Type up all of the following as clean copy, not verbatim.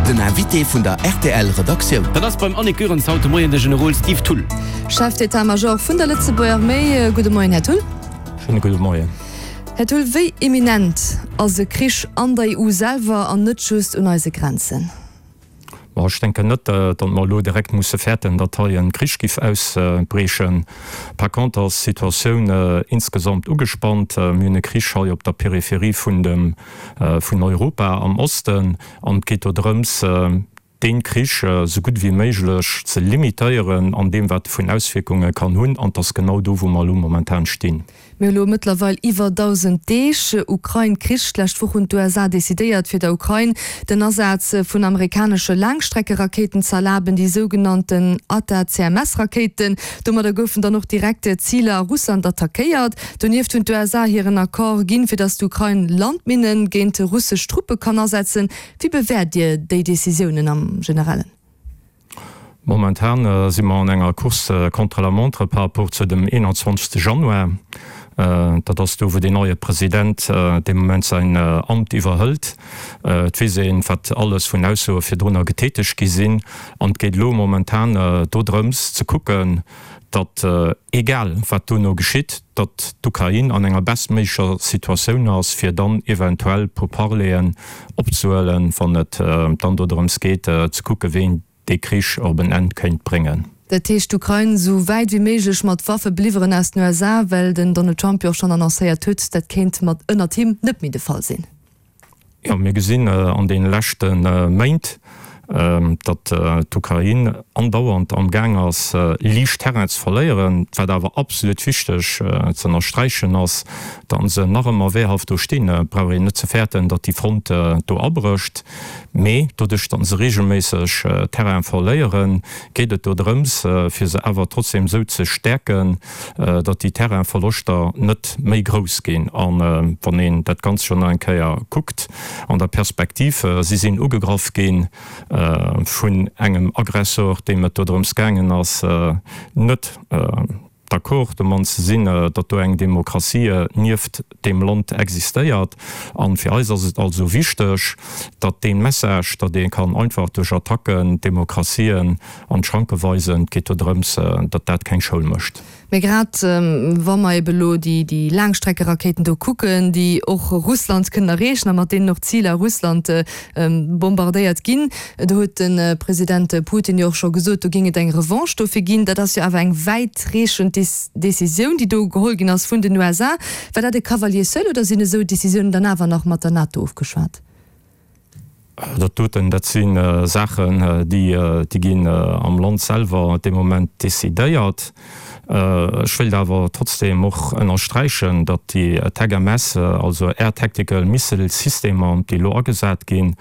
Den Invité vun der rtl Redaktioun. Dat ass beim Annick Goerens haut de Moien de Generol Steve Thull. Chef d'État-Major vun der Lëtzebuerger Arméi. Gudde Moien, Här Thull. Schéine gudde Moien. Här Thull, wéi imminent ass e Krich an der EU selwer an net just un eise Grenzen? Bon, ech denken net, datt mer elo direkt musse fäerten, datt hei e Krich giff ausbriechen. Par contre ass d'Situatioun insgesamt ugespannt. Mir hunn e Krich hei op der Peripherie vun dem, vun Europa am Osten an et geet do drëms, dee Krich esou gutt ewéi méiglech ze limitéieren an deem, wat e vun Auswierkunge kann hunn. An et ass genau do, wou mer elo momentan stinn. Mir hu lo mëttlerweil iwwer 1.000 Deeg Ukrain-Krich. D'lescht Woch hunn d'USA decidéiert, fir der Ukrain den Asaz vun amerikanesche Laangstreckerakéiten ze erlaben, déi sougenannten ATACMS-Rakéiten. Domadder goufen dann och direkt Ziler a Russland attackéiert. Donieft hunn d'USA hiren Accord ginn, fir datt d'Ukrain Landminne géint russesch Truppe kann asetzen. Wéi bewäert Dir déi Decisiounen am Generellen? Momentan si mer an enger Course contre la montre par rapport zu dem 21. Januar. Dat ass do, wou deen neie President dee Moment säin Amt iwwerhëlt. Et weess een, wat alles vun Aussoe virdrunner getätegt gi sinn. An et geet elo momentan dodrëms ze kucken, datt, egal wat dono geschitt, datt d'Ukrain an enger bestméiglecher Situatioun ass, fir dann eventuell Pourparleren opzehuelen, wann et dann dodrëms geet ze kucken, wéi een dee Krich op en Enn kéint bréngen. Dat heescht, d'Ukrain esou wäit wéi méiglech mat Waffe beliwweren aus den USA, well den Donald Trump jo och schonn annoncéiert huet, dat kéint mat ënnert him net méi de Fall sinn. Jo, mir gesinn an deene leschte Méint, datt d'Ukrain andauernd am Gaang ass, liicht Terrain ze verléieren. Wat awer absolut wichteg ze ënnersträichen ass, datt se nach ëmmer wehrhaft do stinn. Et brauch een net ze fäerten, datt déi Front do abrécht. Mee doduerch, datt se reegelméisseg Terrain verléieren, geet et do drëms, fir se awer trotzdem esou ze stäerken, datt déi Terrainverloschter net méi grouss ginn. A wann een dat Ganzt jo nach eng Kéier kuckt an der Perspektiv, si sinn ugegraff gi vun engem Aggressor, deem et dodrëms gaangen ass, net d'accord domat ze sinn, datt do eng Demokratie nieft deem Land existéiert. A fir eis ass et also wichteg, datt dee Message, datt ee kann einfach duerch Attacken d'Demokratien an d'Schranke weisen, et geet do drëms, datt dat keng Schoul mécht. Mee grad wa mer ebe lo déi Laangstreckerakéiten do kucken, déi och Russland kënnen erreechen a mat deenen och Ziler a Russland bombardéiert ginn, do huet de President Putin jo och scho gesot, do géing et eng Revanche dofir ginn. Dat ass jo awer eng wäitreechend Decisioun, déi do geholl ginn ass vun den USA. War dat e Cavalier seul oder sinn esou Decisiounen dann awer nach mat der NATO ofgeschwat? Dat doten, dat si Saachen, déi ginn am Land selwer dee Moment decidéiert. Ech wéilt awer trotzdeem och ënnersträichen, datt déi TACMS, also Air Tactical Missile Systemer, déi elo agesat ginn,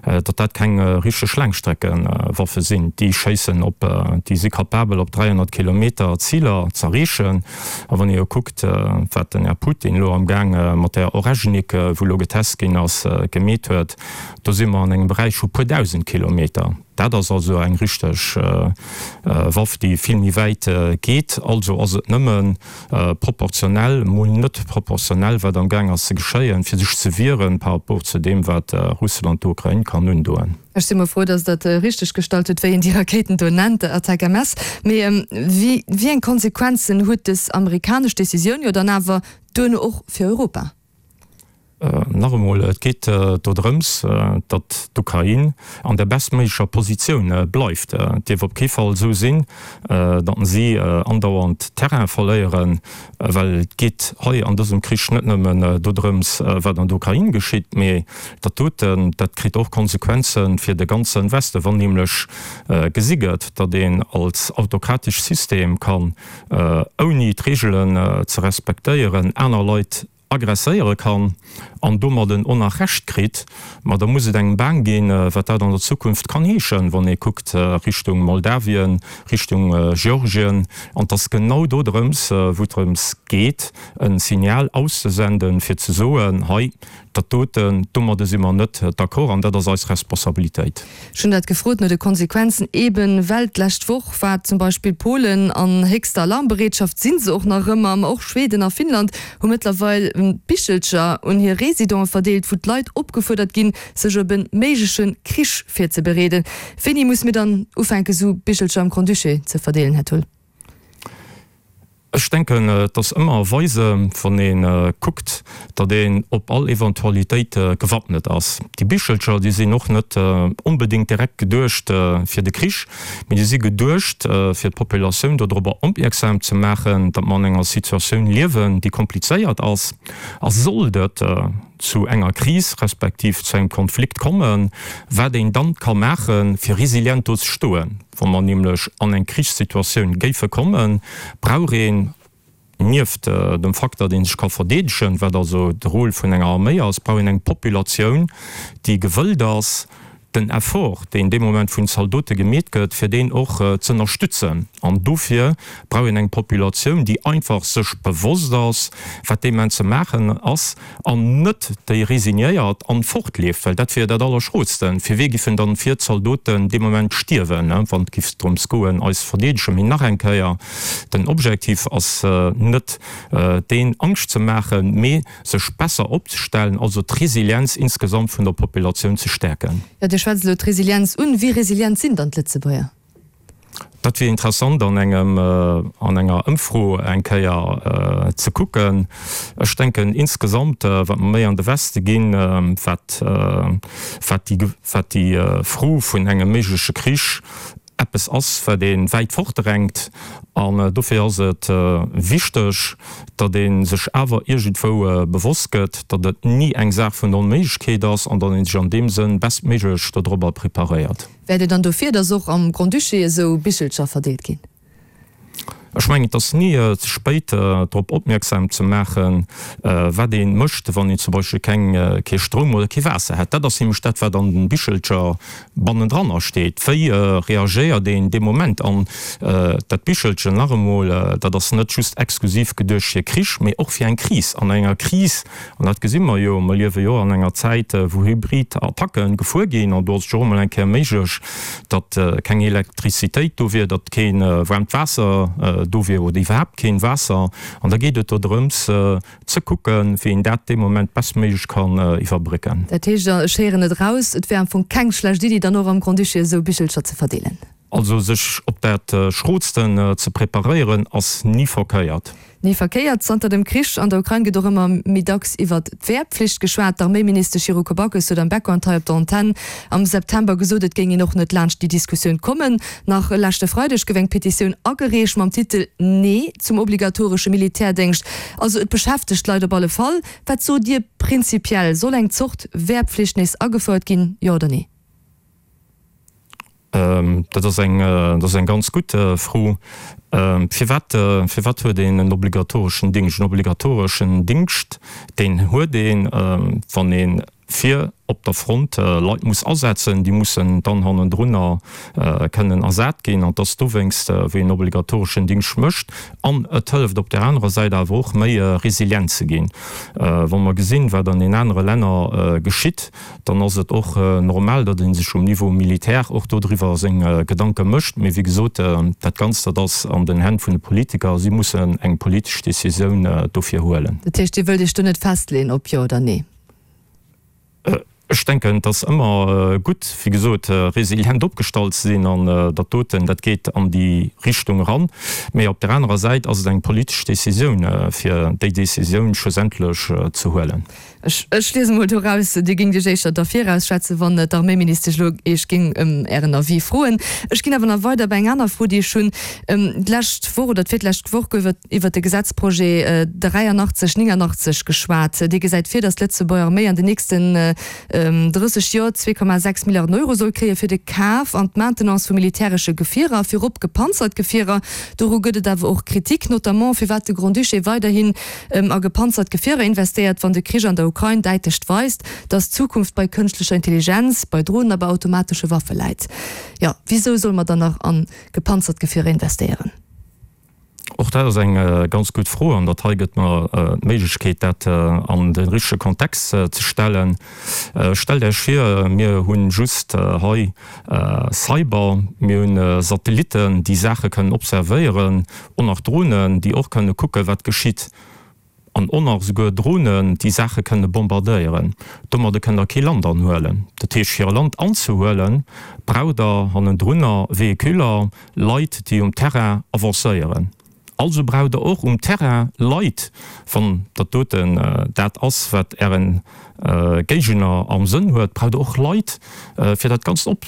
datt dat keng richteg Laangstreckewaffe sinn. Déi schéissen op, déi si capabel op 300 Kilometer Ziler z'erreechen. A wann ee jo kuckt, wat den Här Putin elo amgaang mat där Oreshnik, wou elo getest ginn ass, gemeet huet, do si mer an engem Beräich vu puer 1.000 Kilometer. Dat ass also eng richteg Waff, déi vill méi wäit geet. Also ass et nëmme proportionell, mol net proportionell, wat amgaang ass ze geschéien, fir sech ze wieren par rapport zu deem, wat Russland der Ukrain kann undoen. Ech si mol frou, dass Der et richteg gestallt hutt, wéi een déi Rakéiten do nennt, ATACMS. Mee wéi eng Konsequenzen huet dës amerikanesch Decisioun jo dann awer duerno och fir Europa? Nach emol, et geet do drëms, datt d'Ukrain an der bestméiglecher Positioun bleift. Et dierf op kee Fall esou sinn, datt si andauernd Terrain verléieren, well et geet hei an dësem Krich net nëmmen dodrëms, wat an der Ukrain geschitt, mee dat doten, dat kritt och Konsequenze fir de ganze Westen, wann nämlech gesi gëtt, datt een als autokratesch System kann, ouni d'Reegelen ze respektéieren, aner Leit agresséiere kann an domadden och nach Recht kritt, ma da muss et engem baang ginn, wat dat an der Zukunft kann heeschen, wann ee kuckt Richtung Moldawien, Richtung Georgien. An et ass genau do drëms, wou et drëms geet, e Signal auszesenden, fir ze soen, hei, dat doten, domadde si mer net d'accord an dat ass eis Responsabilitéit. Ech hunn dat gefrot no de Konsequenzen, eben well d'lescht Woch war zum Beispill Polen an héchster Alarmbereetschaft, si se och nach ëmmer, ma och Schweden a Finnland hu mëttlerweil Bichelcher un hir Reese. Présidente verdeelt, wou d'Leit opgefuerdert ginn, sech op e méigleche Krich virzebereeden. Wéini muss mir dann ufänken, esou Bichelcher am Grand-Duché ze verdeelen, Här Thull? Ech denken, et ass ëmmer weise, wann ee kuckt, datt een op all Eventualitéit gewappnet ass. Déi Bichelcher, déi sinn och net onbedéngt direkt geduecht fir de Krich, mee déi si geduecht, fir d'Populatioun dodrobber opmierksam ze maachen, datt mer an enger Situatioun liewen, déi komplizéiert ass. A sollt et zu enger Kris respektiv zu engem Konflikt kommen, wat een dann ka maachen, fir resilient do ze stoen. Wa mer nämlech an eng Krichssituatioun géife kommen, brauch een, nieft dem Fakt, datt ee sech ka verdeedegen, wat also de Rôle vun enger Arméi ass, brauch een eng Populatioun, déi gewëllt ass, den Effort, deen dee Moment vun Zaldote gemeet gëtt, fir deen och z'ënnerstützen. An dofir brauch een eng Populatioun, déi einfach sech bewosst ass, wat dee Moment ze maachen ass, an net déi resignéiert an fortleeft, well dat wier dat Allerschrootsten. Fir wee giffen dann fir d'Zaldoten dee Moment stierwen, wann et giff drëms goen, eis ze verdeedegen? Mee nach eng Kéier, den Objektiv ass net deen, Angscht ze maachen, mee sech besser opzestellen, also d'Resilienz insgesamt vun der Populatioun ze stäerken. Jo, Dir schwätzt elo d'Resilienz un. Wéi resilient sinn dann d'Lëtzebuerger? Dat wier interessant an engem, an enger Ëmfro eng Kéier ze kucken. Ech denken insgesamt, wat mer méi an de Weste ginn, wat, wat déi, wat déi Fro vun engem méigleche Krich eppes ass, wat ee wäit fortdrängt. An dofir ass et wichteg, datt ee sech awer iergendwou bewosst gëtt, datt et ni eng Saach vun der Onméiglechkeet ass an datt ee sech an deem Sënn bestméiglech dodrobber preparéiert. Wäert Dir dann dofir, datt och am Grand-Duché esou Bichelcher verdeelt ginn? Ech mengen, et ass ni ze spéit, drop opmierksam ze maachen, wat ee mécht, wann een zum Beispill keng, kee Stroum oder kee Waasser hätt. Dat ass nämlech dat, wat an den Bichelcher bannendranner steet. Wéi reagéiert een dee Moment? An dat Bichelchen, nach emol, dat ass net just exklusiv geduecht fir Krich, mee och fir eng Kris. An enger Kris An dat gesi mer jo, mer liewe jo an enger Zäit, wou hybrid Attacke gefuer ginn, an do ass et jo och emol eng Kéier méiglech, datt keng Elektrizitéit do wier, datt kee waarmt Waasser do wier oder iwwerhaapt keen Waasser. An da geet et do drëms ze kucken, wéi een dat dee Moment bestméiglech kann iwwerbrécken. Dat heescht, ech héieren et eraus, et wär am Fong keng schlecht Iddi, dann och am Grand-Duché esou Bichelcher ze verdeelen. Also sech op dat Schrootsten ze preparéieren ass ni verkéiert. Ni verkéiert. Zanter dem Krich an der Ukrain gëtt och ëmmer méi dacks iwwert d'Wehrpflicht geschwat. D'Arméiministesch Yuriko Backes huet am Background hei op der Antenn am September gesot, et géing een och net laanscht déi Diskussioun kommen. Nach leschte Freideg gouf eng Petitioun agereecht mam Titel Nee zum obligatoresche Militärdéngscht. Also et beschäftegt d'Leit op alle Fall. Wat sot Dir prinzipiell, soll eng Zort Wehrpflicht nees agefouert ginn, jo oder nee? Dat ass eng, dat ass eng ganz gutt Fro. Firwat, firwat huet een en obligatoreschen Dingscht? En obligatoreschen Dingscht, deen huet een, wann ee fir op der Front Leit muss asetzen. Déi mussen dann hannendrunner kënnen ersat ginn. An et ass dowéinst, wou een obligatoreschen Dingscht mécht. An et hëlleft op där anerer Säit awer och, méi resilient ze ginn. Wa mer gesinn, wat an den anere Länner geschitt, dann ass et och normal, datt ee sech um Niveau militaire och dodriwwer seng Gedanke mécht. Mee wéi gesot, dat Ganzt, dat ass an den Hänn vun de Politiker. Si mussen eng politesch Décisioun dofir huelen. Dat heescht, Dir wëllt Iech do net festleeën, ob jo oder nee? Ech denken, et ass ëmmer gutt, wéi gesot, resilient opgestallt ze sinn. An dat doten, dat geet an déi Richtung eran. Mee op där anerer Säit ass et eng politesch Décisioun, fir déi Décisioun schlussendlech ze huelen. Ech liesen mol doraus, Dir géingt Iech éischter derfir ausschwätzen, wann d'Arméiministesch elo Iech géing ëm Ären Avis froen. Ech ginn awer nach weider bei eng aner Fro, déi ech hunn. D'lescht Woch oder d'virlescht Woch gouf iwwert de Gesetzprojet 83 89 geschwat. Dee gesäit vir, datt d'Lëtzebuerger Arméi an den nächsten 30 Joer 2,6 Milliarden Euro soll kréie fir de Kaf an d'Maintenance vu militäresche Gefierer, virop gepanzert Gefierer. Doru gëtt et awer och Kritik, notamment firwat de Grand-Duché weiderhin a gepanzert Gefierer investéiert, wann de Krich an der Ukrain däitlech weist, datt d'Zukunft bei kënschtlecher Intelligenz, bei Dronen a bei automatesche Waffe läit. Jo, wisou solle mer dann nach a gepanzert Gefierer investéieren? Och dat ass eng ganz gutt Fro an dat hei gëtt mer d'Méiglechkeet, dat an de richtege Kontext ze stellen. Stellt Iech vir, mir hu just hei Cyber, mir hu Satellitten, déi Saache kënnen observéieren, Och nach Dronen, déi och kënne kucken, wat geschitt. An och nach esouguer Dronen, déi Saache kënne bombardéieren. Domadde kënnt Der kee Land anhuelen. Dat heescht, fir e Land anzehuelen, braucht Der hannendrunner Véhiculer, Leit, déi um Terrain avancéieren. Also braucht Der och um Terrain Leit, wann dat doten dat ass, wat Äre Géigner am Sënn huet, braucht Der och Leit, fir dat Ganzt op.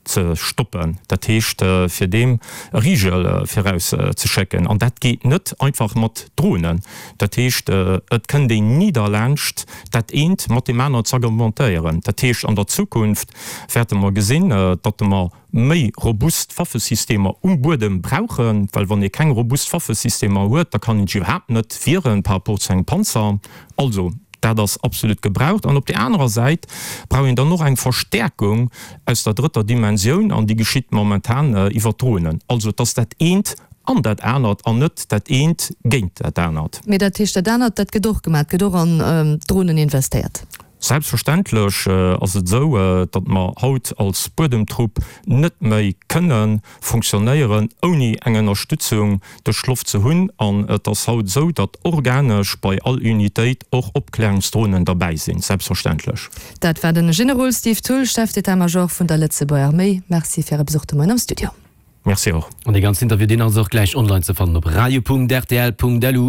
ze stoppen, dat heescht fir deem e Rigel viraus ze schécken, an dat geet net einfach mat Dronen. Dat heescht, et kënnt een ni derlaanscht dat eent mat deem aneren z'argumentéieren. Dat heescht, an der Zukunft wäerte mer gesinn, datt mer méi robust Waffesystemer um Buedem brauchen, well wann ee keng robust Waffesystemer huet, da kann een sech iwwerhaapt net wieren par rapport zu engem Panzer. Also, dat ass absolut gebraucht. An op där anerer Säit brauch een dann och eng Verstärkung aus der drëtter Dimensioun, an déi geschitt momentan iwwer d'Dronen. Also, et ass dat eent an dat anert an net dat eent géint dat anert. Mee dat heescht, dat anert, dat gëtt och gemaach, et gëtt och an d'Dronen investéiert? Selbstverständlech ass et esou, datt mer haut als Buedemtrupp net méi kënne fonctionnéieren, ouni eng Ënnerstützung duerch d'Loft ze hunn. An et ass haut esou, datt organesch bei all Unitéit och Opklärungsdronen derbäi sinn, selbstverständlech. Dat war den Generol Steve Thull, Chef d'état-major vun der Lëtzebuerger Arméi. Merci fir Äre Besuch de Moien am Studio. Merci och. An dee ganzen Interview, deen ass och gläich online ze fannen op radio.rtl.lu.